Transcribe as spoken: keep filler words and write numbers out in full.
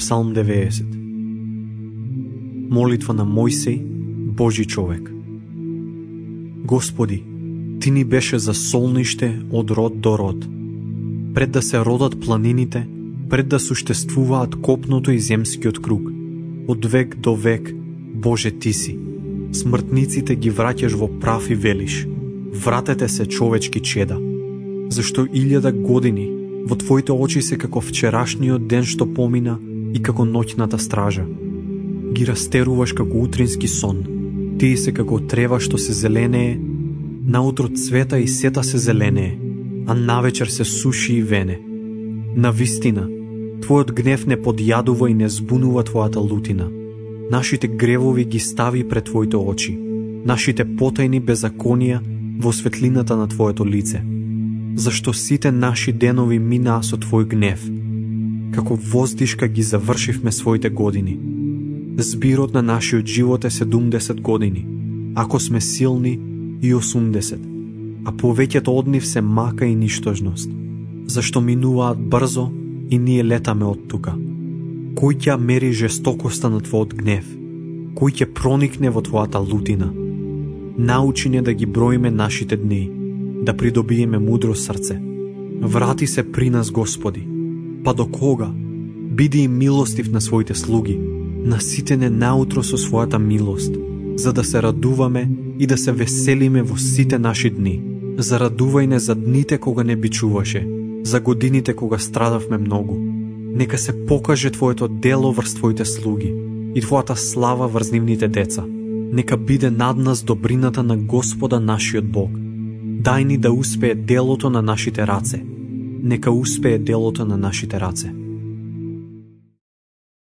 Псалм деветдесет. Молитва на Мојсей, Божи човек. Господи, Ти ни беше за солниште од род до род. Пред да се родат планините, пред да суштествуваат копното и земскиот круг, од век до век, Боже Ти си. Смртниците ги враќаш во прав и велиш: вратете се, човечки чеда. Зашто илјада години во Твоите очи се како вчерашниот ден што помина и како ноќната стража. Ги растеруваш како утрински сон. Тие се како трева што се зеленее, наутро цвета и сета се зеленее, а навечер се суши и вене. Навистина, Твојот гнев не подјадува и не збунува Твојата лутина. Нашите гревови ги стави пред Твоите очи, нашите потајни беззаконија во светлината на Твоето лице. Зашто сите наши денови минаа со Твој гнев. Како воздишка ги завршивме своите години. Збирот на нашиот живот е седумдесет години, ако сме силни и осумдесет, а повеќето од нив се мака и ништожност. Зашто минуваат брзо и ние летаме од тука. Кој ќе мери жестокоста на Твојот гнев? Кој ќе проникне во Твојата лутина? Научи не да ги броиме нашите дни, да придобиеме мудро срце. Врати се при нас, Господи. Па до кога? Биди им милостив на своите слуги, наситене наутро со својата милост, за да се радуваме и да се веселиме во сите наши дни. Зарадувај не за дните кога не бичуваше, за годините кога страдавме многу. Нека се покаже Твоето дело врз Твоите слуги и Твојата слава врз нивните деца. Нека биде над нас добрината на Господа нашиот Бог. Дај ни да успее делото на нашите раце. Нека успее делото на нашите раце.